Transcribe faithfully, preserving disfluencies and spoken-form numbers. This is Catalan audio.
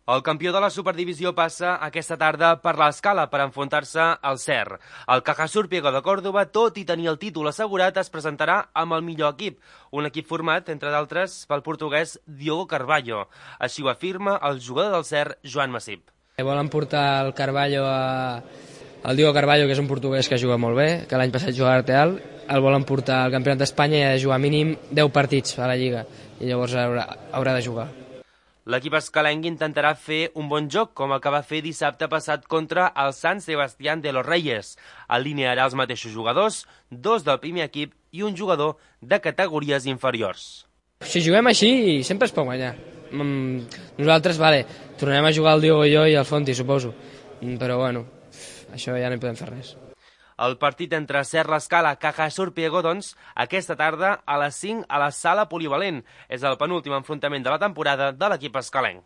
El campió de la Superdivisió passa aquesta tarda per l'Escala per enfrontar-se al C E R. El Cajasur Priego de Còrdoba, tot i tenir el títol assegurat, es presentarà amb el millor equip, un equip format, entre d'altres, pel portuguès Diogo Carvalho. Així ho afirma el jugador del C E R, Joan Masip. Volen portar el Carvalho a... el Diogo Carvalho, que és un portuguès que juga molt bé, que l'any passat jugava a Arteal, el volen portar al Campionat d'Espanya i ha de jugar mínim deu partits a la Lliga, i llavors haurà, haurà de jugar. L'equip escalenc intentarà fer un bon joc, com el que va fer dissabte passat contra el Sant Sebastián de los Reyes. Alinearà els mateixos jugadors, dos del primer equip i un jugador de categories inferiors. Si juguem així, sempre es pot guanyar. Nosaltres, vale, tornarem a jugar el Diogo i jo i el Fonti, suposo. Però, bueno, això ja no hi podem fer res. El partit entre C E R l'Escala i Cajasur Priego, doncs, aquesta tarda a les cinc a la Sala Polivalent. És el penúltim enfrontament de la temporada de l'equip escalenc.